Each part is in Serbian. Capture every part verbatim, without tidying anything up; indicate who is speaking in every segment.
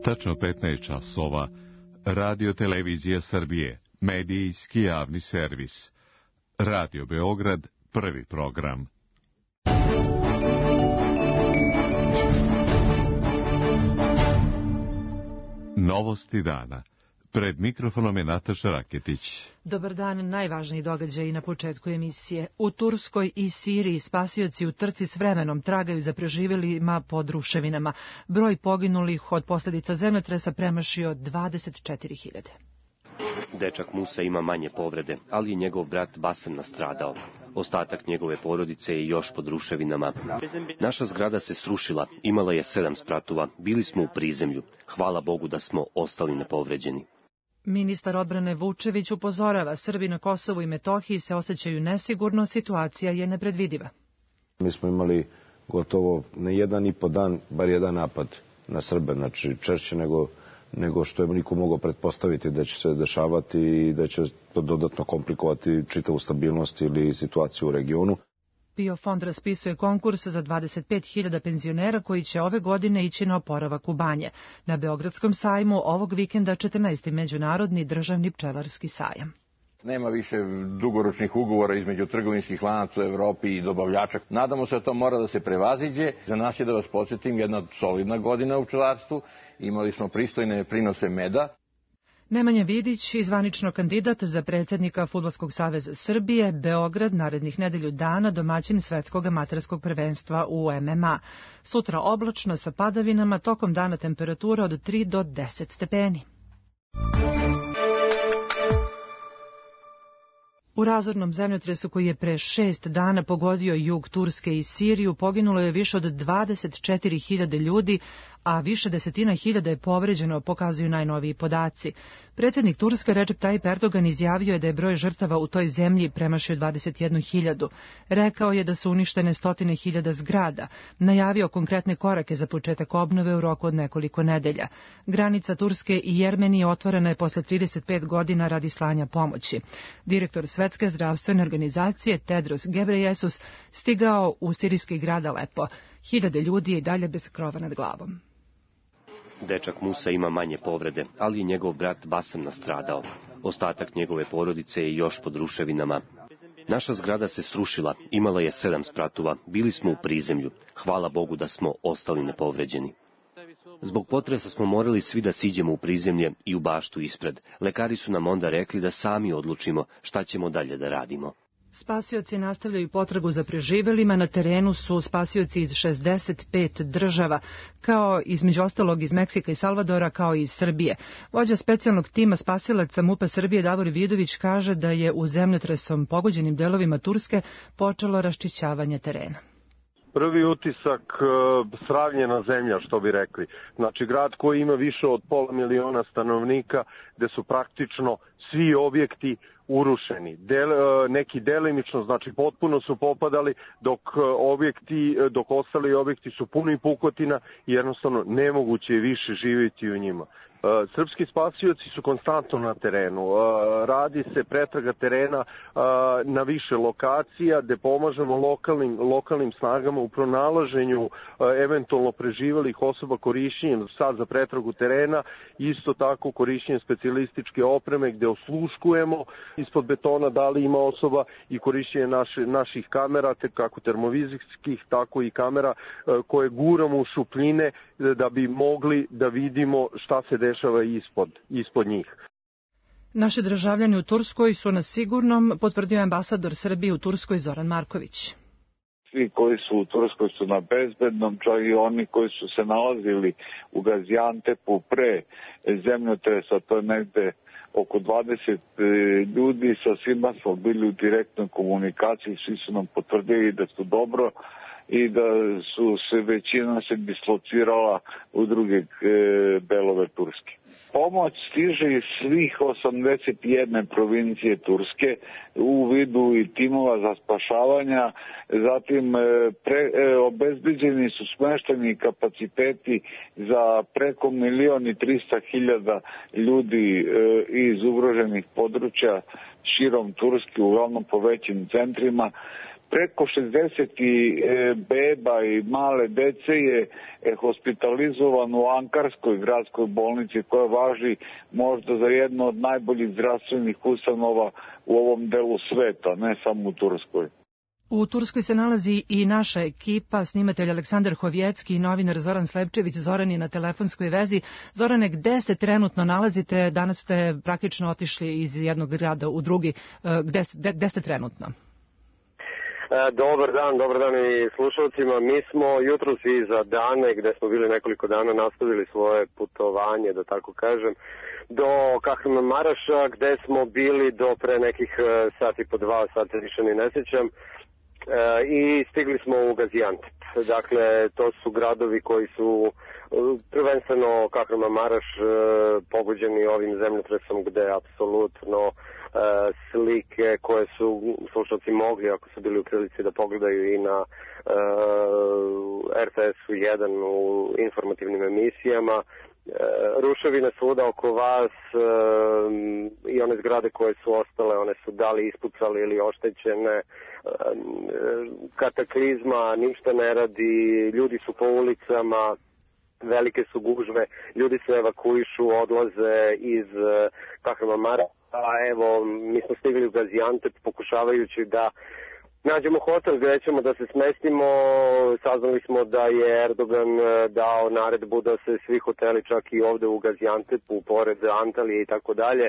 Speaker 1: Tačno petnaest časova. Radio Televizija Srbije, medijski javni servis. Radio Beograd, prvi program. Novosti dana. Pred mikrofonom je Nataša Raketić.
Speaker 2: Dobar dan, najvažniji događaji na početku emisije. U Turskoj i Siriji spasioci u trci s vremenom tragaju za preživjelima pod ruševinama. Broj poginulih od posljedica zemljotresa premašio dvadeset četiri hiljade.
Speaker 3: Dečak Musa ima manje povrede, ali je njegov brat Basem nastradao. Ostatak njegove porodice je još pod ruševinama. Naša zgrada se srušila, imala je sedam spratova, bili smo u prizemlju. Hvala Bogu da smo ostali nepovređeni.
Speaker 2: Ministar odbrane Vučević upozorava, Srbi na Kosovu i Metohiji se osjećaju nesigurno, situacija je nepredvidiva.
Speaker 4: Mi smo imali gotovo na jedan i po dan bar jedan napad na Srbe, znači češće nego, nego što je niko mogao pretpostaviti da će se dešavati i da će to dodatno komplikovati čitavu stabilnost ili situaciju u regionu.
Speaker 2: PIO fond raspisuje konkurs za dvadeset pet hiljada penzionera koji će ove godine ići na oporavak u banje. Na Beogradskom sajmu ovog vikenda četrnaesti međunarodni državni pčelarski sajam.
Speaker 5: Nema više dugoročnih ugovora između trgovinskih lanaca u Evropi i dobavljača. Nadamo se da to mora da se prevaziđe. Za nas je, da vas podsjetim, jedna solidna godina u pčelarstvu. Imali smo pristojne prinose meda.
Speaker 2: Nemanja Vidić, zvanično kandidat za predsjednika Fudbalskog saveza Srbije, Beograd narednih nedelju dana domaćin svetskog amaterskog prvenstva u M M A. Sutra oblačno sa padavinama, tokom dana temperatura od tri do deset stepeni. U razornom zemljotresu koji je pre šest dana pogodio jug Turske i Siriju poginulo je više od dvadeset četiri hiljade ljudi, a više desetina hiljada je povređeno, pokazuju najnoviji podaci. Predsjednik Turske Recep Tayyip Erdogan izjavio je da je broj žrtava u toj zemlji premašio dvadeset jednu hiljadu. Rekao je da su uništene stotine hiljada zgrada. Najavio konkretne korake za početak obnove u roku od nekoliko nedelja. Granica Turske i Jermenije otvorena je posle trideset pet godina radi slanja pomoći. Direktor Svetske zdravstvene organizacije Tedros Ghebreyesus stigao u sirijski grad Alepo. Hiljade ljudi je i dalje bez krova nad glavom.
Speaker 3: Dečak Musa ima manje povrede, ali je njegov brat Basem nastradao. Ostatak njegove porodice je još pod ruševinama. Naša zgrada se srušila, imala je sedam spratova, bili smo u prizemlju. Hvala Bogu da smo ostali nepovređeni. Zbog potresa smo morali svi da siđemo u prizemlje i u baštu ispred. Lekari su nam onda rekli da sami odlučimo šta ćemo dalje da radimo.
Speaker 2: Spasioci nastavljaju potragu za preživjelima. Na terenu su spasioci iz šezdeset pet država, kao između ostalog iz Meksika i Salvadora, kao i iz Srbije. Vođa specijalnog tima spasilaca MUP-a Srbije Davor Vidović kaže da je u zemljotresom pogođenim delovima Turske počelo raščišćavanje terena.
Speaker 6: Prvi utisak, sravnjena zemlja, što bi rekli. Znači, grad koji ima više od pola miliona stanovnika, gde su praktično svi objekti urušeni. Del, neki delimično, znači potpuno su popadali, dok objekti, dok ostali objekti su puni pukotina i jednostavno nemoguće je više živjeti u njima. Srpski spasioci su konstantno na terenu. Radi se pretraga terena na više lokacija gde pomažemo lokalnim, lokalnim snagama u pronalaženju eventualno preživelih osoba korišćenjem sad za pretragu terena, isto tako korišćenjem specijalističke opreme gde osluškujemo ispod betona da li ima osoba i korišćenje naše, naših kamera, te kako termovizijskih, tako i kamera koje guramo u šupljine da bi mogli da vidimo šta se dešava ispod, ispod njih.
Speaker 2: Naši državljani u Turskoj su na sigurnom, potvrdio ambasador Srbije u Turskoj Zoran Marković.
Speaker 7: Svi koji su u Turskoj su na bezbednom, čak i oni koji su se nalazili u Gaziantepu pre zemljotresa, to je negde oko dvadeset ljudi, sa svima smo bili u direktnoj komunikaciji, svi su nam potvrdili da su dobro i da su se većina se dislocirala u druge delove Turske. Pomoć stiže iz svih osamdeset jedne provincije Turske u vidu i timova za spašavanja, zatim pre, obezbeđeni su smešteni kapaciteti za preko milion i trista hiljada ljudi iz ugroženih područja širom Turske, uglavnom po većim centrima. Preko šezdeset beba i male dece je hospitalizovano u Ankarskoj gradskoj bolnici, koja važi možda za jednu od najboljih zdravstvenih ustanova u ovom delu sveta, ne samo u Turskoj.
Speaker 2: U Turskoj se nalazi i naša ekipa, snimatelj Aleksandar Hovjecki i novinar Zoran Slepčević. Zoran je na telefonskoj vezi. Zorane, gde se trenutno nalazite? Danas ste praktično otišli iz jednog grada u drugi. Gde, gde, gde ste trenutno?
Speaker 8: Dobar dan, dobar dan i slušalcima. Mi smo jutros iza Dane, gde smo bili nekoliko dana, nastavili svoje putovanje, da tako kažem, do Kahramanmaraša, gde smo bili do pre nekih sati po dva, sata više ni ne sjećam, i stigli smo u Gaziantep. Dakle, to su gradovi koji su prvenstveno Kahramanmaraš pogođeni ovim zemljotresom, gde apsolutno slike koje su slušalci mogli, ako su bili u prilici da pogledaju i na R T S-u jedan u informativnim emisijama, ruševine svuda oko vas i one zgrade koje su ostale, one su da li ispucali ili oštećene, kataklizma, ništa ne radi, ljudi su po ulicama, velike su gužve, ljudi se evakuišu, odlaze iz Kahramanmaraša. A evo, mi smo stigli u Gaziantep pokušavajući da nađemo hotel gdje ćemo da se smestimo. Saznali smo da je Erdogan dao naredbu da se svi hoteli, čak i ovde u Gaziantepu, pored Antalije i tako dalje,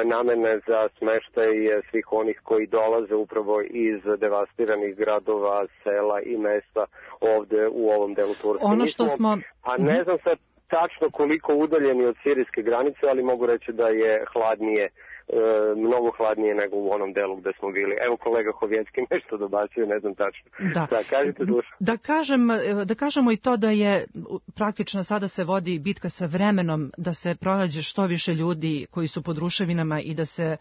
Speaker 8: namene za smeštaj svih onih koji dolaze upravo iz devastiranih gradova, sela i mesta ovde u ovom delu Turske.
Speaker 2: Ono što smo...
Speaker 8: A ne znam sad tačno koliko udaljeni od sirijske granice, ali mogu reći da je hladnije, e, mnogo hladnije nego u onom delu gde smo bili. Evo kolega Hovjecki nešto dobacuje, ne znam tačno.
Speaker 2: Da,
Speaker 8: da, kažete,
Speaker 2: da, kažem, da kažemo i to da je praktično sada se vodi bitka sa vremenom, da se pronađe što više ljudi koji su pod ruševinama i da se e,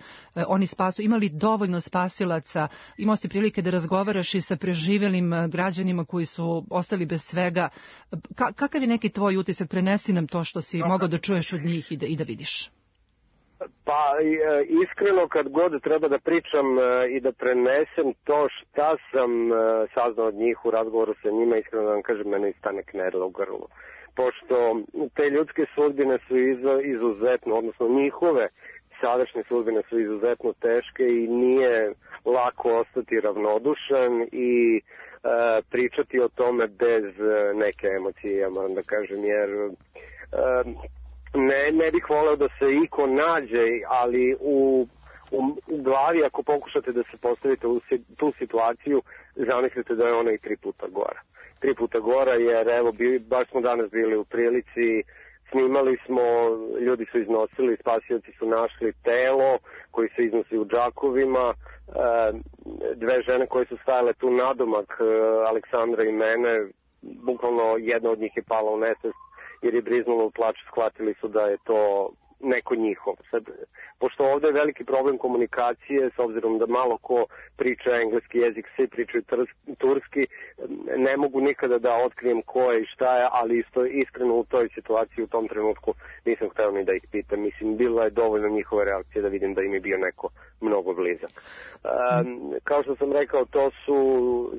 Speaker 2: oni spasu. Imali dovoljno spasilaca, imao si prilike da razgovaraš i sa preživjelim građanima koji su ostali bez svega. Ka, kakav je neki tvoj utisak? Prenesi nam to što si no, mogao da čuješ od njih i da, i da vidiš.
Speaker 8: Pa iskreno kad god treba da pričam i da prenesem to šta sam saznao od njih u razgovoru sa njima, iskreno da vam kažem, mene stane knedla u grlu. Pošto te ljudske sudbine su izuzetno, odnosno njihove sadašnje sudbine su izuzetno teške i nije lako ostati ravnodušan i e, pričati o tome bez neke emocije, ja moram da kažem, jer e, ne, ne bih voleo da se iko nađe, ali u, u, u glavi ako pokušate da se postavite u tu situaciju, zamislite da je ona i tri puta gora. Tri puta gora jer evo, bi, baš smo danas bili u prilici, snimali smo, ljudi su iznosili, spasioci su našli telo koji se iznosi u džakovima, dve žene koje su stajale tu nadomak Aleksandra i mene, bukvalno jedna od njih je pala u nesvest jer je briznula u plač, shvatili su da je to neko njihov. Sad, pošto ovdje je veliki problem komunikacije, s obzirom da malo ko priča engleski jezik, svi pričaju turski, ne mogu nikada da otkrijem ko je i šta je, ali isto iskreno u toj situaciji, u tom trenutku nisam hteo ni da ih pitam. Mislim, bila je dovoljno njihove reakcije da vidim da im je bio neko mnogo blizak. Um, kao što sam rekao, to su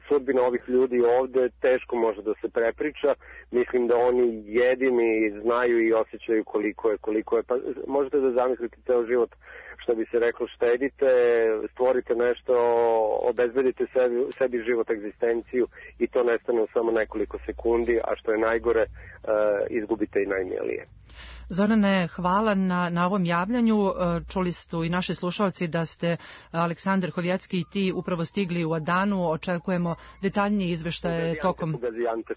Speaker 8: sudbine ovih ljudi ovde, teško može da se prepriča. Mislim da oni jedini znaju i osjećaju koliko je, koliko je. Pa možete da zamislite ceo život, što bi se reklo, štedite, stvorite nešto, obezbedite sebi, sebi život, egzistenciju i to nestane u samo nekoliko sekundi, a što je najgore, uh, izgubite i najmilije.
Speaker 2: Zorane, hvala na, na ovom javljanju. Čuli su i naši slušalci da ste Aleksandar Hovjecki i ti upravo stigli u Adanu. Očekujemo detaljnije izveštaje tokom...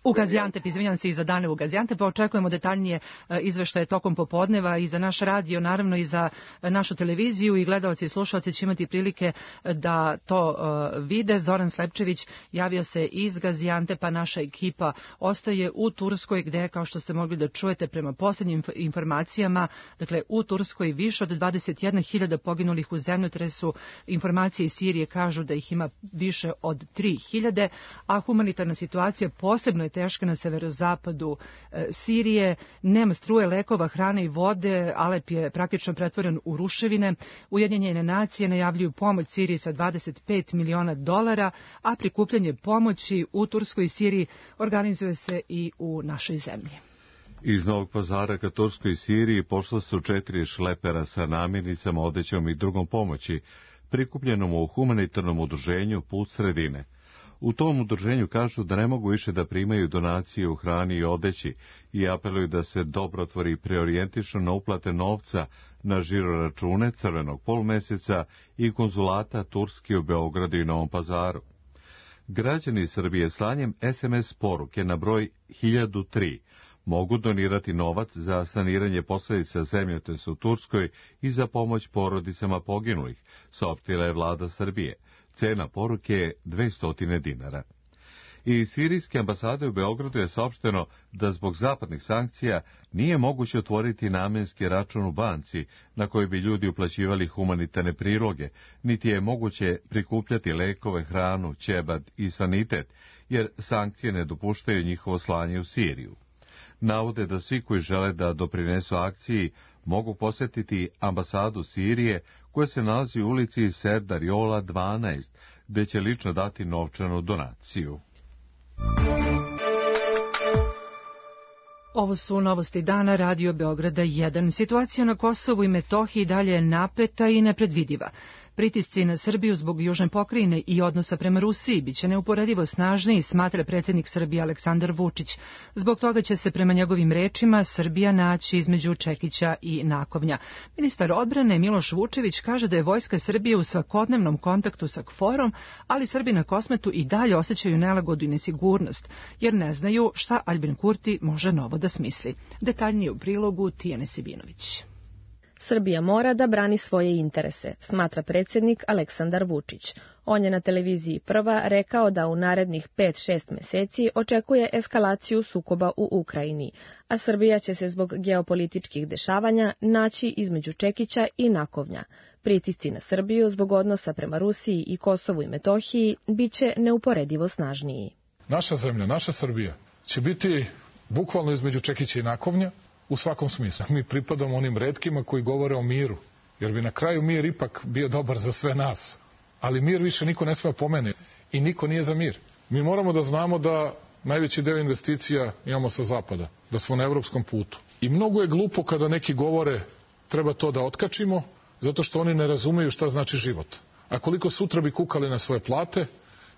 Speaker 2: U Gaziantep, izvinjam se, i za dane u Gaziantep. Očekujemo detaljnije izveštaje tokom popodneva i za naš radio, naravno i za našu televiziju i gledalci i slušalci će imati prilike da to uh, vide. Zoran Slepčević javio se iz Gaziantepa, naša ekipa ostaje u Turskoj gde, kao što ste mogli da čujete, prema posljednjim informacijama, dakle u Turskoj više od dvadeset jedna hiljada poginulih u zemljotresu. Informacije iz Sirije kažu da ih ima više od tri hiljade, a humanitarna situacija posebno je teška na severozapadu e, Sirije. Nema struje, lekova, hrane i vode. Alep je praktično pretvoren u ruševine. Ujedinjene nacije najavljuju pomoć Siriji sa dvadeset pet miliona dolara, a prikupljanje pomoći u Turskoj i Siriji organizuje se i u našoj zemlji.
Speaker 1: Iz Novog Pazara ka Turskoj i Siriji pošla su četiri šlepera sa namirnicama, odećom i drugom pomoći, prikupljenom u humanitarnom udruženju Put sredine. U tom udruženju kažu da ne mogu više da primaju donacije u hrani i odeći i apeluju da se dobrotvori preorijentišu na uplate novca na žiroračune Crvenog polumjeseca i konzulata Turske u Beogradu i Novom Pazaru. Građani Srbije slanjem es em es poruke na broj hiljadu tri mogu donirati novac za saniranje posljedica zemljotresa u Turskoj i za pomoć porodicama poginulih, saopštila je vlada Srbije. Cena poruke je dvesta dinara. Iz sirijske ambasade u Beogradu je saopšteno da zbog zapadnih sankcija nije moguće otvoriti namenski račun u banci na koji bi ljudi uplaćivali humanitarne priloge, niti je moguće prikupljati lekove, hranu, ćebad i sanitet, jer sankcije ne dopuštaju njihovo slanje u Siriju. Navode da svi koji žele da doprinesu akciji mogu posjetiti ambasadu Sirije koja se nalazi u ulici Serdar Jola dvanaest, gde će lično dati novčanu donaciju.
Speaker 2: Ovo su novosti dana Radio Beograda jedan. Situacija na Kosovu i Metohiji dalje je napeta i nepredvidiva. Pritisci na Srbiju zbog južne pokrajine i odnosa prema Rusiji biće neuporedivo snažniji, smatra predsjednik Srbije Aleksandar Vučić. Zbog toga će se prema njegovim rečima Srbija naći između Čekića i Nakovnja. Ministar odbrane Miloš Vučević kaže da je vojska Srbije u svakodnevnom kontaktu sa KFOR-om, ali Srbi na Kosmetu i dalje osjećaju nelagodu i nesigurnost, jer ne znaju šta Aljbin Kurti može novo da smisli. Detaljnije u prilogu Tijane Sibinović.
Speaker 9: Srbija mora da brani svoje interese, smatra predsjednik Aleksandar Vučić. On je na televiziji Prva rekao da u narednih pet šest meseci očekuje eskalaciju sukoba u Ukrajini, a Srbija će se zbog geopolitičkih dešavanja naći između Čekića i Nakovnja. Pritisci na Srbiju zbog odnosa prema Rusiji i Kosovu i Metohiji biće neuporedivo snažniji.
Speaker 10: Naša zemlja, naša Srbija će biti bukvalno između Čekića i Nakovnja, u svakom smislu. Mi pripadamo onim retkima koji govore o miru, jer bi na kraju mir ipak bio dobar za sve nas. Ali mir više niko ne sme pomene i niko nije za mir. Mi moramo da znamo da najveći deo investicija imamo sa zapada, da smo na evropskom putu. I mnogo je glupo kada neki govore treba to da otkačimo, zato što oni ne razumeju šta znači život. A koliko sutra bi kukali na svoje plate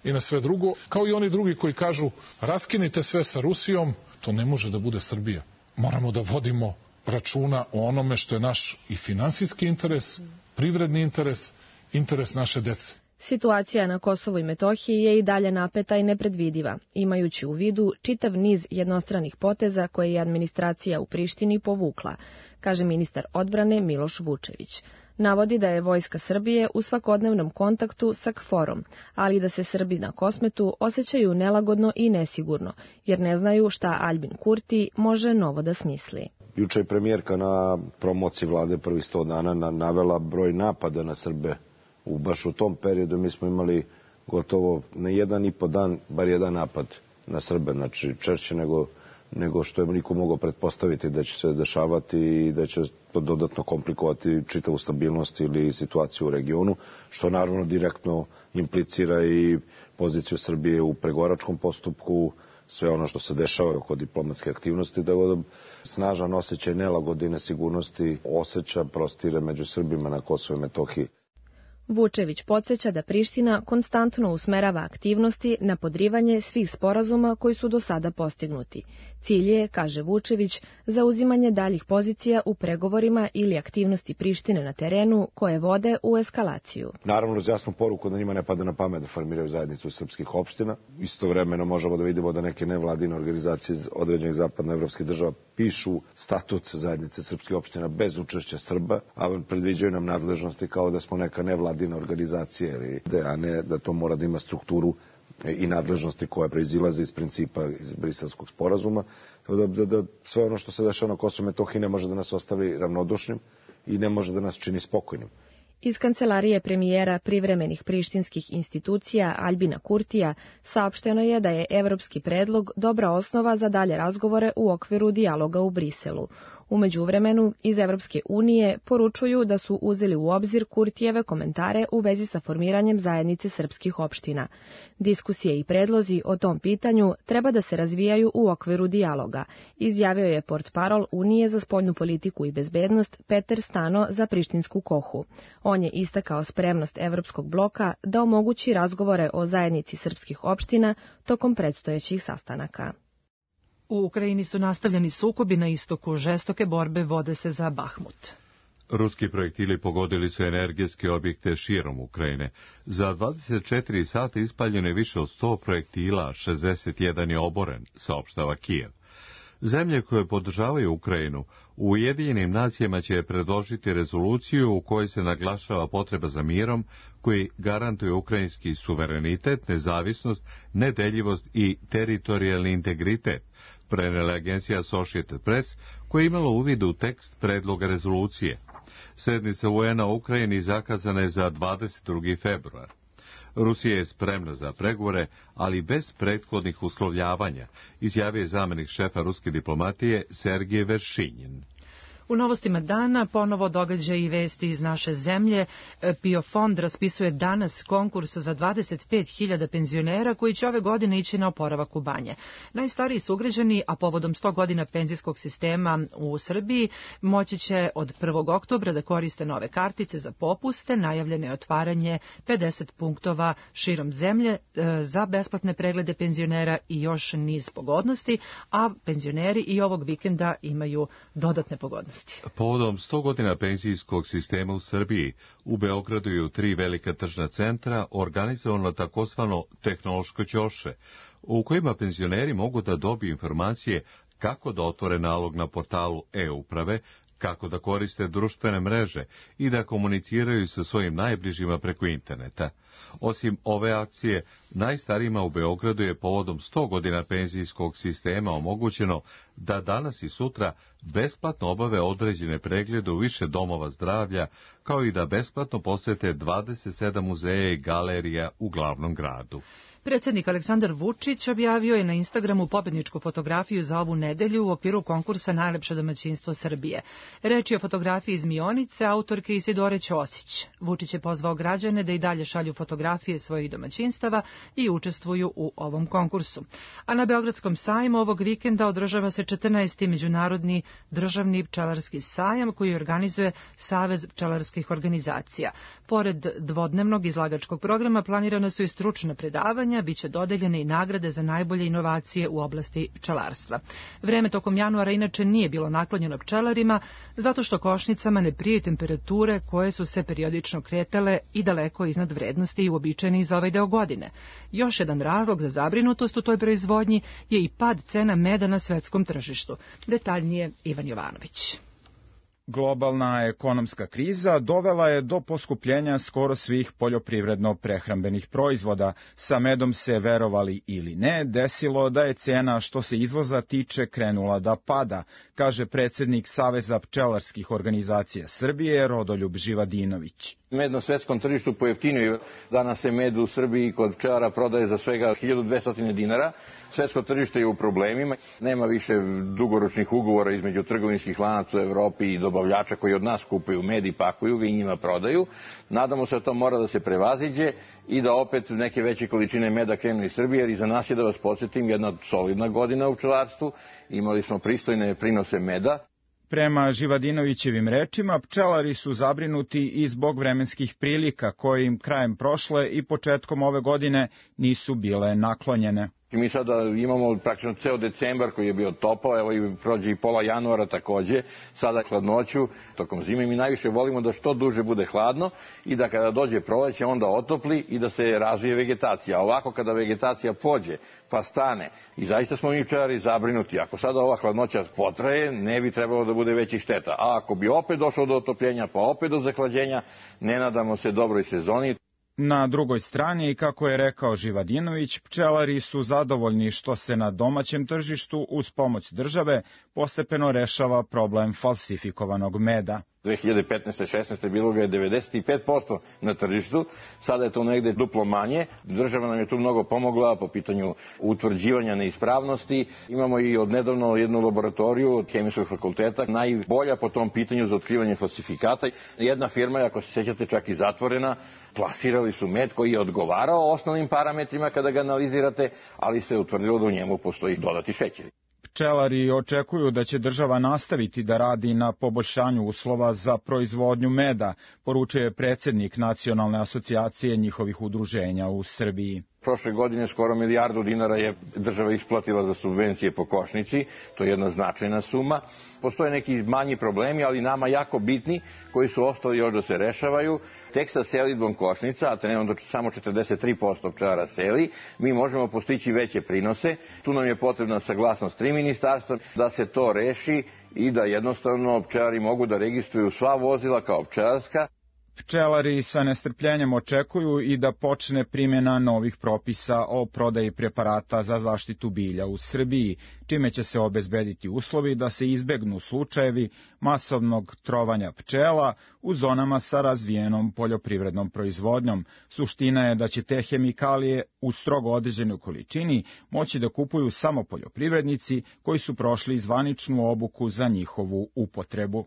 Speaker 10: i na sve drugo, kao i oni drugi koji kažu raskinite sve sa Rusijom, to ne može da bude Srbija. Moramo da vodimo računa o onome što je naš i finansijski interes, privredni interes, interes naše dece.
Speaker 9: Situacija na Kosovu i Metohiji je i dalje napeta i nepredvidiva, imajući u vidu čitav niz jednostranih poteza koje je administracija u Prištini povukla, kaže ministar odbrane Miloš Vučević. Navodi da je vojska Srbije u svakodnevnom kontaktu sa KFOR-om, ali da se Srbi na Kosmetu osjećaju nelagodno i nesigurno, jer ne znaju šta Aljbin Kurti može novo da smisli.
Speaker 4: Juče je premijerka na promociji vlade prvih sto dana navela broj napada na Srbe. U baš u tom periodu mi smo imali gotovo na jedan i po dan bar jedan napad na Srbe, znači češće nego nego što je niko mogao pretpostaviti da će se dešavati i da će to dodatno komplikovati čitavu stabilnost ili situaciju u regionu, što naravno direktno implicira i poziciju Srbije u pregovaračkom postupku, sve ono što se dešava oko diplomatske aktivnosti, da je snažan osjećaj nelagode i nesigurnosti osjeća prostire među Srbima na Kosovu i Metohiji.
Speaker 9: Vučević podsjeća da Priština konstantno usmerava aktivnosti na podrivanje svih sporazuma koji su do sada postignuti. Cilj je, kaže Vučević, zauzimanje daljih pozicija u pregovorima ili aktivnosti Prištine na terenu koje vode u eskalaciju.
Speaker 4: Naravno, uz jasnu poruku da njima ne pada na pamet da formiraju zajednicu srpskih opština. Istovremeno možemo da vidimo da neke nevladine organizacije određenih zapadnoevropskih država pišu statut zajednice srpskih opština bez učešća Srba, a predviđaju nam nadležnosti kao da smo neka nevladina organizacija, a ne da to mora da ima strukturu i nadležnosti koje proizilaze iz principa iz Briselskog sporazuma, da, da, da sve ono što se dešava na Kosovu i Metohiji ne može da nas ostavi ravnodušnim i ne može da nas čini spokojnim.
Speaker 9: Iz kancelarije premijera privremenih prištinskih institucija Aljbina Kurtija saopšteno je da je evropski predlog dobra osnova za dalje razgovore u okviru dijaloga u Briselu. U međuvremenu, iz Evropske unije poručuju da su uzeli u obzir Kurtijeve komentare u vezi sa formiranjem zajednice srpskih opština. Diskusije i predlozi o tom pitanju treba da se razvijaju u okviru dijaloga, izjavio je portparol Unije za spoljnu politiku i bezbednost Peter Stano za prištinsku Kohu. On je istakao spremnost Evropskog bloka da omogući razgovore o zajednici srpskih opština tokom predstojećih sastanaka.
Speaker 2: U Ukrajini su nastavljeni sukobi na istoku, žestoke borbe vode se za Bahmut.
Speaker 1: Ruski projektili pogodili su energetske objekte širom Ukrajine. Za dvadeset četiri sata ispaljeno je više od sto projektila, šezdeset jedan je oboren, saopštava Kijev. Zemlje koje podržavaju Ukrajinu u Ujedinjenim nacijama će predložiti rezoluciju u kojoj se naglašava potreba za mirom koji garantuje ukrajinski suverenitet, nezavisnost, nedeljivost i teritorijalni integritet, prenela agencija Associated Press, koja je imala uvid u tekst predloga rezolucije. Sednica U N-a u Ukrajini zakazana je za dvadeset drugi februar. Rusija je spremna za pregovore, ali bez prethodnih uslovljavanja, izjavio je zamenik šefa ruske diplomatije Sergej Veršinjin.
Speaker 2: U novostima dana ponovo događaji i vesti iz naše zemlje. PIO fond raspisuje danas konkurs za dvadeset pet hiljada penzionera koji će ove godine ići na oporavak u banje. Najstariji sugrađani, a povodom sto godina penzijskog sistema u Srbiji, moći će od prvog oktobra da koriste nove kartice za popuste. Najavljeno je otvaranje pedeset punktova širom zemlje za besplatne preglede penzionera i još niz pogodnosti, a penzioneri i ovog vikenda imaju dodatne pogodnosti.
Speaker 1: Povodom sto godina penzijskog sistema u Srbiji, u Beogradu i u tri velika tržna centra organizovano takozvano tehnološko ćoše, u kojima penzioneri mogu da dobiju informacije kako da otvore nalog na portalu e-uprave, kako da koriste društvene mreže i da komuniciraju sa svojim najbližima preko interneta. Osim ove akcije, najstarijima u Beogradu je povodom sto godina penzijskog sistema omogućeno da danas i sutra besplatno obave određene preglede u više domova zdravlja, kao i da besplatno posete dvadeset sedam muzeja i galerija u glavnom gradu.
Speaker 2: Predsjednik Aleksandar Vučić objavio je na Instagramu pobedničku fotografiju za ovu nedelju u okviru konkursa Najlepše domaćinstvo Srbije. Reč je o fotografiji iz Mionice, autorke Isidore Ćosić. Vučić je pozvao građane da i dalje šalju fotografije svojih domaćinstava i učestvuju u ovom konkursu. A na Beogradskom sajmu ovog vikenda održava se četrnaesti međunarodni državni pčelarski sajam koji organizuje Savez pčelarskih organizacija. Pored dvodnevnog izlagačkog programa planirana su i stručna predavanja, biće dodeljene i nagrade za najbolje inovacije u oblasti pčelarstva. Vreme tokom januara inače nije bilo naklonjeno pčelarima, zato što košnicama ne prije temperature koje su se periodično kretale i daleko iznad vrednosti i uobičajeni za ovaj deo godine. Još jedan razlog za zabrinutost u toj proizvodnji je i pad cena meda na svetskom tržištu. Detaljnije Ivan Jovanović.
Speaker 11: Globalna ekonomska kriza dovela je do poskupljenja skoro svih poljoprivredno-prehrambenih proizvoda. Sa medom se, verovali ili ne, desilo da je cena što se izvoza tiče krenula da pada, kaže predsjednik Saveza pčelarskih organizacija Srbije Rodoljub Živadinović.
Speaker 5: Med na svetskom tržištu pojeftinio. Danas se med u Srbiji kod pčelara prodaje za svega hiljadu dvesta dinara. Svetsko tržište je u problemima. Nema više dugoročnih ugovora između trgovinskih lanaca u Evropi i dobavljača koji od nas kupuju med i pakuju ga i njima prodaju. Nadamo se da to mora da se prevaziđe i da opet neke veće količine meda krenu iz Srbije, jer iza nas je, da vas podsjetim, jedna solidna godina u pčelarstvu. Imali smo pristojne prinose meda.
Speaker 11: Prema Živadinovićevim rečima, pčelari su zabrinuti i zbog vremenskih prilika koje im krajem prošle i početkom ove godine nisu bile naklonjene.
Speaker 5: Mi sada imamo praktično ceo decembar koji je bio topao, evo i prođe i pola januara takođe, sada hladnoću tokom zime. Mi najviše volimo da što duže bude hladno i da kada dođe proleće onda otopli i da se razvije vegetacija. A ovako kada vegetacija pođe pa stane, i zaista smo mi pčelari zabrinuti, ako sada ova hladnoća potraje, ne bi trebalo da bude većih šteta. A ako bi opet došlo do otopljenja pa opet do zahlađenja, ne nadamo se dobroj sezoni.
Speaker 11: Na drugoj strani, kako je rekao Živadinović, pčelari su zadovoljni što se na domaćem tržištu uz pomoć države postepeno rešava problem falsifikovanog meda.
Speaker 5: dve hiljade petnaeste šesnaeste bilo ga je devedeset pet posto na tržištu, sada je to negde duplo manje. Država nam je tu mnogo pomogla po pitanju utvrđivanja neispravnosti. Imamo i odnedavno jednu laboratoriju od Hemijskog fakulteta, najbolja po tom pitanju za otkrivanje falsifikata. Jedna firma, ako se sećate, čak i zatvorena, plasirali su med koji je odgovarao osnovnim parametrima kada ga analizirate, ali se utvrdilo da u njemu postoji dodati šećer.
Speaker 11: Pčelari očekuju da će država nastaviti da radi na poboljšanju uslova za proizvodnju meda, poručuje predsjednik Nacionalne asocijacije njihovih udruženja u Srbiji.
Speaker 5: Prošle godine skoro milijardu dinara je država isplatila za subvencije po košnici, to je jedna značajna suma. Postoje neki manji problemi, ali nama jako bitni, koji su ostali još da se rešavaju. Tek sa selidbom košnica, a trenutno samo četrdeset tri posto pčelara seli, mi možemo postići veće prinose. Tu nam je potrebna saglasnost tri ministarstva da se to reši i da jednostavno pčelari mogu da registruju sva vozila kao pčelarska.
Speaker 11: Pčelari sa nestrpljenjem očekuju i da počne primjena novih propisa o prodaji preparata za zaštitu bilja u Srbiji, čime će se obezbediti uslovi da se izbegnu slučajevi masovnog trovanja pčela u zonama sa razvijenom poljoprivrednom proizvodnjom. Suština je da će te hemikalije u strogo određenoj količini moći da kupuju samo poljoprivrednici koji su prošli zvaničnu obuku za njihovu upotrebu.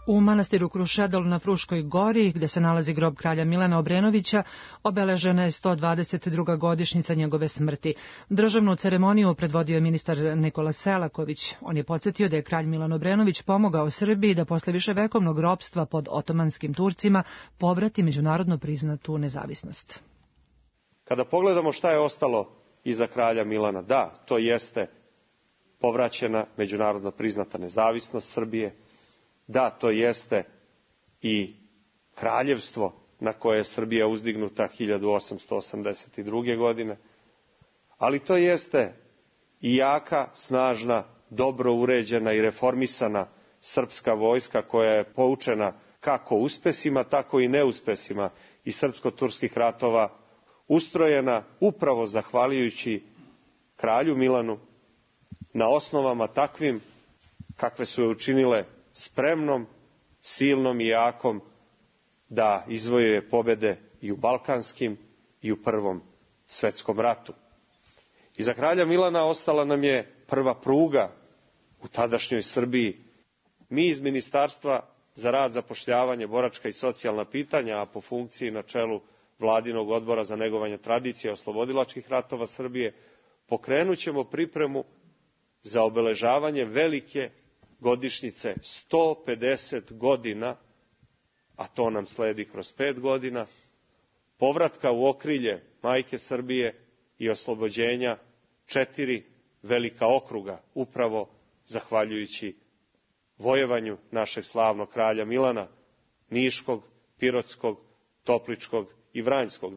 Speaker 2: U manastiru Krušedol na Fruškoj gori, gde se nalazi grob kralja Milana Obrenovića, obeležena je sto dvadeset druga godišnjica njegove smrti. Državnu ceremoniju predvodio je ministar Nikola Selaković. On je podsjetio da je kralj Milan Obrenović pomogao Srbiji da posle viševekovnog ropstva pod otomanskim Turcima povrati međunarodno priznatu nezavisnost.
Speaker 12: Kada pogledamo šta je ostalo iza kralja Milana, da, to jeste povraćena međunarodno priznata nezavisnost Srbije. Da, to jeste i kraljevstvo na koje je Srbija uzdignuta hiljadu osamsto osamdeset druge. godine, ali to jeste i jaka, snažna, dobro uređena i reformisana srpska vojska koja je poučena kako uspesima, tako i neuspesima i srpsko-turskih ratova, ustrojena upravo zahvaljujući kralju Milanu na osnovama takvim kakve su je učinile spremnom, silnom i jakom da izvojuje pobede i u Balkanskim i u Prvom svetskom ratu. Iza kralja Milana ostala nam je prva pruga u tadašnjoj Srbiji. Mi iz Ministarstva za rad, zapošljavanje, boračka i socijalna pitanja, a po funkciji na čelu Vladinog odbora za negovanje tradicije oslobodilačkih ratova Srbije, pokrenut ćemo pripremu za obeležavanje velike godišnjice sto pedeset godina, a to nam sledi kroz pet godina, povratka u okrilje majke Srbije i oslobođenja četiri velika okruga, upravo zahvaljujući vojevanju našeg slavnog kralja Milana, Niškog, Pirotskog, Topličkog i Vranjskog.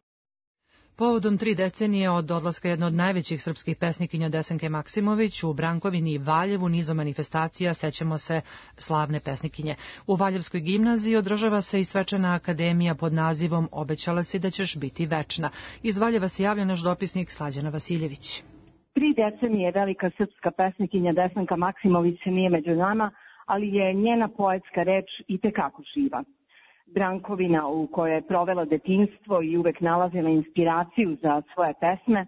Speaker 2: Povodom tri decenije od odlaska jedne od najvećih srpskih pesnikinja Desanke Maksimović u Brankovini i Valjevu nizom manifestacija sećamo se slavne pesnikinje. U Valjevskoj gimnaziji održava se i svečana akademija pod nazivom Obećala si da ćeš biti večna. Iz Valjeva se javlja naš dopisnik Slađana Vasiljević.
Speaker 13: Tri decenije velika srpska pesnikinja Desanka Maksimović nije među nama, ali je njena poetska reč itekako živa. Brankovina, u kojoj je provela detinjstvo i uvek nalazila inspiraciju za svoje pesme,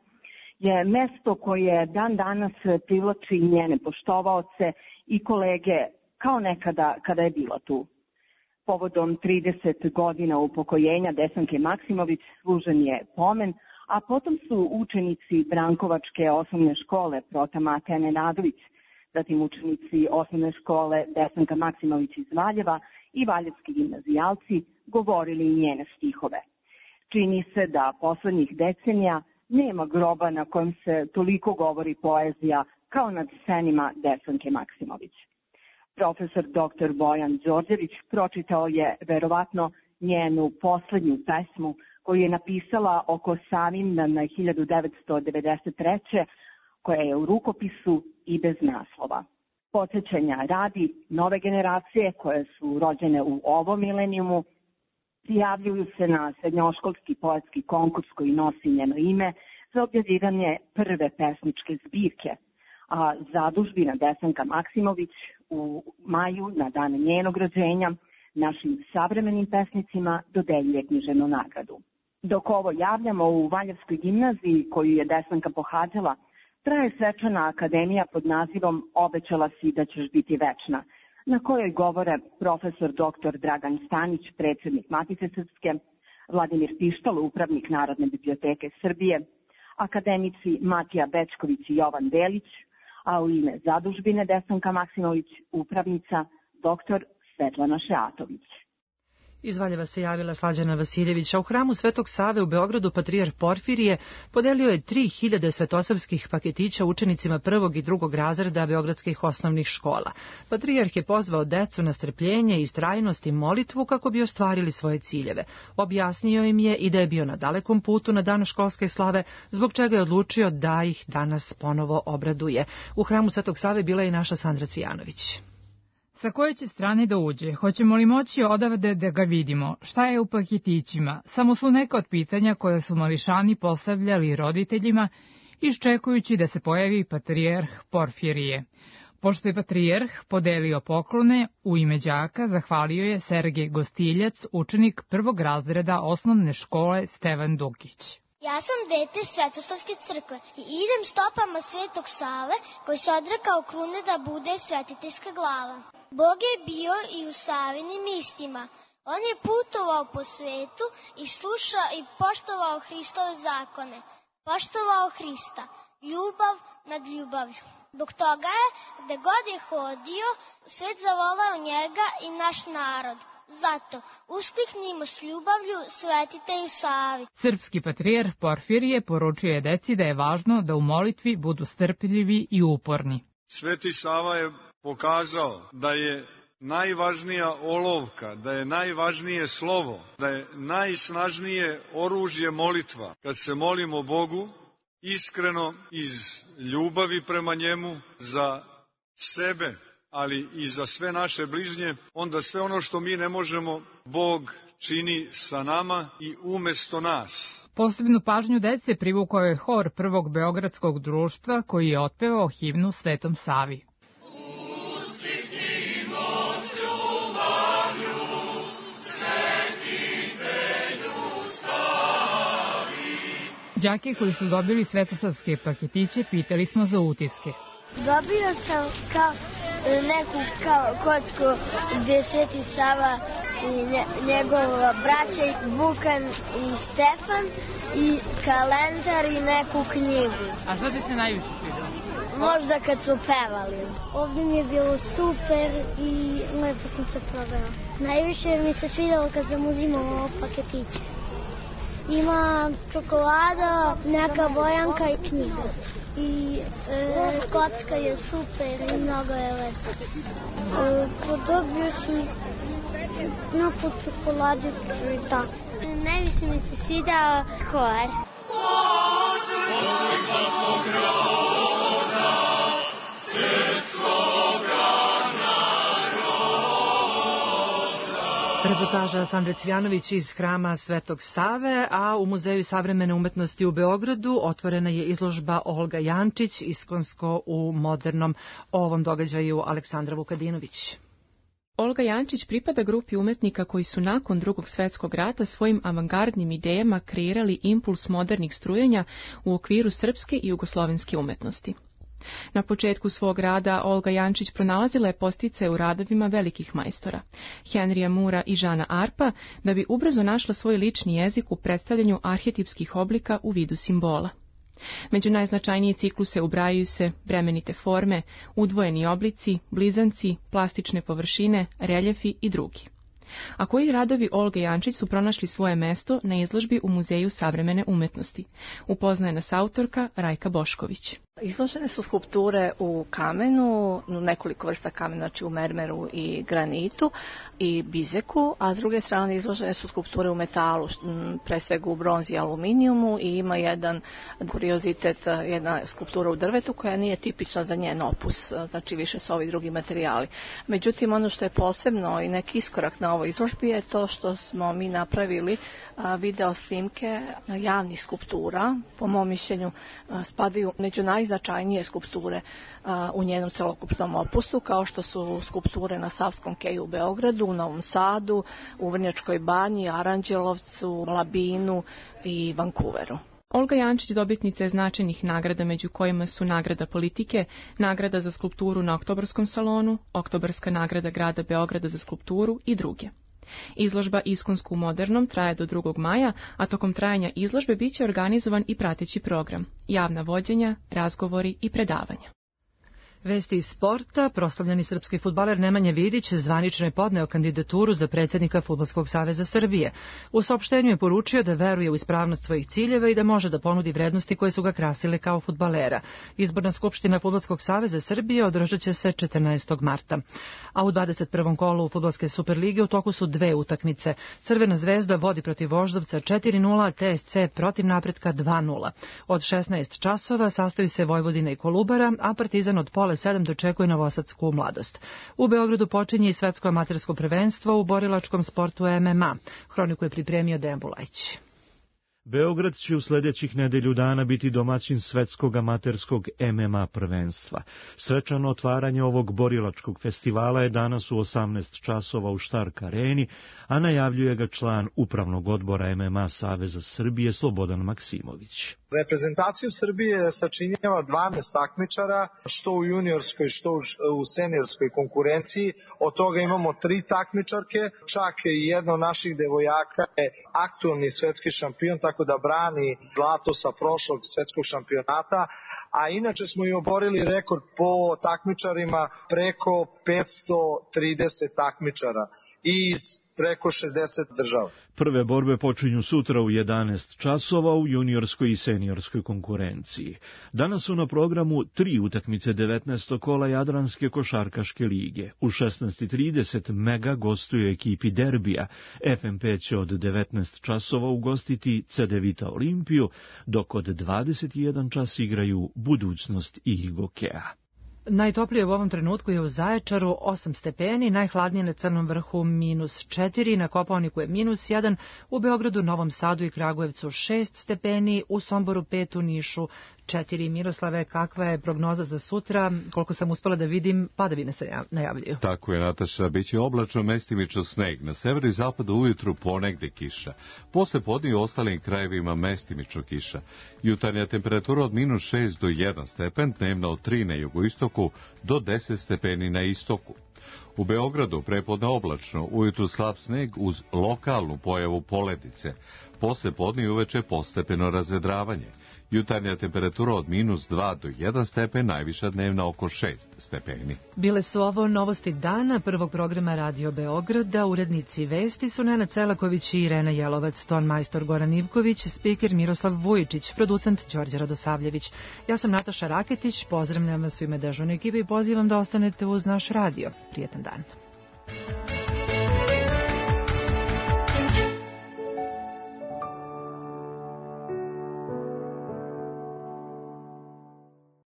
Speaker 13: je mesto koje dan danas privlači njene poštovaoce i kolege kao nekada kada je bila tu. Povodom trideset godina upokojenja Desanke Maksimović služen je pomen, a potom su učenici Brankovačke osnovne škole Prota Mateja Nenadović, zatim učenici osnovne škole Desanka Maksimović iz Valjeva i valjevski gimnazijalci govorili njene stihove. Čini se da poslednjih decenija nema groba na kojem se toliko govori poezija kao nad senima Desanke Maksimović. Profesor doktor Bojan Đorđević pročitao je verovatno njenu poslednju pesmu koju je napisala oko Savindan hiljadu devetsto devedeset treće. koja je u rukopisu i bez naslova. Podsjećanja radi, nove generacije koje su rođene u ovom milenijumu prijavljuju se na srednjoškolski poetski konkurs koji nosi njeno ime za objavljivanje prve pesničke zbirke, a zadužbina Desanka Maksimović u maju na dan njenog rođenja našim savremenim pesnicima dodeljuje književnu nagradu. Dok ovo javljamo, u Valjevskoj gimnaziji koju je Desanka pohađala, traje svečana akademija pod nazivom Obećala si da ćeš biti večna, na kojoj govore profesor doktor Dragan Stanić, predsjednik Matice Srpske, Vladimir Pištalo, upravnik Narodne biblioteke Srbije, akademici Matija Bečković i Jovan Delić, a u ime zadužbine Desanka Maksimović upravnica doktor Svetlana Šeatović.
Speaker 2: Iz Valjeva se javila Slađana Vasiljević, a u hramu Svetog Save u Beogradu patrijarh Porfirije podelio je tri hiljade svetosavskih paketića učenicima prvog i drugog razreda beogradskih osnovnih škola. Patrijarh je pozvao decu na strpljenje, istrajnost i molitvu kako bi ostvarili svoje ciljeve. Objasnio im je i da je bio na dalekom putu na dan školske slave, zbog čega je odlučio da ih danas ponovo obraduje. U hramu Svetog Save bila je i naša Sandra Cvijanović.
Speaker 14: Sa koje će strane da uđe? Hoćemo li moći odavde da ga vidimo? Šta je u paketićima? Samo su neka od pitanja koje su mališani postavljali roditeljima, iščekujući da se pojavi patrijarh Porfirije. Pošto je patrijarh podelio poklone, u ime đaka zahvalio je Sergej Gostiljac, učenik prvog razreda osnovne škole Stevan Dukić.
Speaker 15: Ja sam dete Svetosavske crkve i idem stopama Svetog Save koji se odrekao krune da bude svetiteljska glava. Bog je bio i u Savinim istima. On je putovao po svetu i slušao i poštovao Hristove zakone. Poštovao Hrista, ljubav nad ljubavlju. Zbog toga je, gde god je hodio, svet zavolao njega i naš narod. Zato uskliknimo s ljubavlju svetitelju Savi.
Speaker 14: Srpski patrijarh Porfirije poručuje deci da je važno da u molitvi budu strpljivi i uporni.
Speaker 16: Sveti Sava je pokazao da je najvažnija olovka, da je najvažnije slovo, da je najsnažnije oružje molitva. Kad se molimo Bogu, iskreno iz ljubavi prema njemu za sebe, ali i za sve naše bližnje, onda sve ono što mi ne možemo, Bog čini sa nama i umesto nas.
Speaker 14: Posebnu pažnju dece privukao je hor prvog beogradskog društva koji je otpevao himnu Svetom Savi. Đake koji su dobili svetosavske paketiće pitali smo za utiske.
Speaker 15: Dobio sam kao neku kao kocku gdje je Sveti Sava i njegova braća Vukan i Stefan i kalendar i neku knjigu.
Speaker 14: A što ti se najviše svidjelo?
Speaker 15: Možda kad su pevali. Ovdje mi je bilo super i lepo sam se provela. Najviše mi se svidjelo kad sam uzimala paketiće. Ima čokolada, neka bojanka i knjiga. I e, kocka je super i mnogo je lepo. E, podobio sam neku čokoladicu i tako. Najviše mi se svidao hor.
Speaker 2: Reportaža Sandre Cvijanović iz hrama Svetog Save, a u Muzeju savremene umetnosti u Beogradu otvorena je izložba Olga Jančić, iskonsko u modernom. O ovom događaju Aleksandra Vukadinović.
Speaker 17: Olga Jančić pripada grupi umetnika koji su nakon Drugog svjetskog rata svojim avangardnim idejama kreirali impuls modernih strujenja u okviru srpske i jugoslovenske umetnosti. Na početku svog rada Olga Jančić pronalazila je posticaje u radovima velikih majstora, Henrija Mura i Žana Arpa, da bi ubrzo našla svoj lični jezik u predstavljanju arhetipskih oblika u vidu simbola. Među najznačajnije cikluse ubrajaju se bremenite forme, udvojeni oblici, blizanci, plastične površine, reljefi i drugi. A koji radovi Olge Jančić su pronašli svoje mesto na izložbi u Muzeju savremene umetnosti? Upoznaje nas autorka Rajka Bošković.
Speaker 18: Izložene su skulpture u kamenu, nekoliko vrsta kamena, znači u mermeru i granitu i bizeku, a s druge strane izložene su skulpture u metalu, pre svega u bronzi i aluminijumu, i ima jedan kuriozitet, jedna skulptura u drvetu koja nije tipična za njen opus, znači više su ovi drugi materijali. Međutim, ono što je posebno i neki iskorak na ovoj izložbi je to što smo mi napravili video snimke javnih skulptura, po mom mišljenju spadaju među najznačajnije skulpture u njenom celokupnom opusu, kao što su skulpture na Savskom keju u Beogradu, u Novom Sadu, u Vrnjačkoj banji, Aranđelovcu, Labinu i Vancouveru.
Speaker 17: Olga Jančić dobitnica je značajnih nagrada, među kojima su nagrada politike, nagrada za skulpturu na Oktobarskom salonu, Oktobarska nagrada grada Beograda za skulpturu i druge. Izložba Iskonsko u modernom traje do drugog maja, a tokom trajanja izložbe biće organizovan i prateći program, javna vođenja, razgovori i predavanja.
Speaker 2: Vesti iz sporta. Proslavljeni srpski fudbaler Nemanja Vidić zvanično je podneo kandidaturu za predsjednika Fudbalskog saveza Srbije. U saopštenju je poručio da veruje u ispravnost svojih ciljeva i da može da ponudi vrednosti koje su ga krasile kao fudbalera. Izborna skupština Fudbalskog saveza Srbije održat će se četrnaestog marta. A u dvadeset prvom kolu Fudbalske superlige u toku su dve utakmice. Crvena zvezda vodi protiv Voždovca četiri nula, T S C protiv Napretka dva nula. Od šesnaest časova sastaju se Vojvodina i Kolubara, a Partizan od pola sedam dočekuje Novosadsku Mladost. U Beogradu počinje i svetsko amatersko prvenstvo u borilačkom sportu M M A. Hroniku je pripremio Dejan Bulajić.
Speaker 19: Beograd će u sljedećih nedelju dana biti domaćin svetskog amaterskog M M A prvenstva. Svečano otvaranje ovog borilačkog festivala je danas u osamnaest časova u Štark areni, a najavljuje ga član upravnog odbora M M A Saveza Srbije Slobodan Maksimović.
Speaker 20: Reprezentaciju Srbije sačinjava dvanaest takmičara, što u juniorskoj, što u seniorskoj konkurenciji. Od toga imamo tri takmičarke, čak i jedna od naših devojaka je aktualni svetski šampion, tako da brani zlato sa prošlog svetskog šampionata, a inače smo i oborili rekord po takmičarima, preko petsto trideset takmičara iz preko šezdeset država.
Speaker 19: Prve borbe počinju sutra u jedanaest časova u juniorskoj i seniorskoj konkurenciji. Danas su na programu tri utakmice devetnaestog kola Jadranske košarkaške lige. U šesnaest i trideset Mega gostuje ekipi Derbija. F M P će od devetnaest časova ugostiti C D Vita Olimpiju, dok od dvadeset jedan čas igraju Budućnost i Gokeja.
Speaker 2: Najtoplije u ovom trenutku je u Zaječaru osam stepeni, najhladnije na Crnom vrhu minus četiri, na Kopaoniku je minus jedan, u Beogradu, Novom Sadu i Kragujevcu šest stepeni, u Somboru pet, u Nišu četiri. Miroslave, kakva je prognoza za sutra? Koliko sam uspela da vidim, padavine se najavljuju.
Speaker 1: Tako je, Nataša, bit će oblačno, mestimično sneg. Na severu i zapadu ujutru ponegde kiša. Posle podne u ostalim krajevima mestimično kiša. Jutarnja temperatura od minus šest do jedan stepen, dnevna od tri na jugoistoku do deset stepeni na istoku. U Beogradu prepodne oblačno, ujutru slab sneg uz lokalnu pojavu poledice. Posle podne i uveče postepeno razvedravanje. Jutarnja temperatura od minus dva do jedan stepen, najviša dnevna oko šest stepeni.
Speaker 2: Bile su ovo novosti dana prvog programa Radio Beograda. Urednici vesti su Nenad Celaković i Irena Jelovac, ton majstor Goran Ivković, spiker Miroslav Vujičić, producent Đorđe Radosavljević. Ja sam Nataša Raketić, pozdravljam vas u ime dežurne ekipe i pozivam da ostanete uz naš radio. Prijetan dan.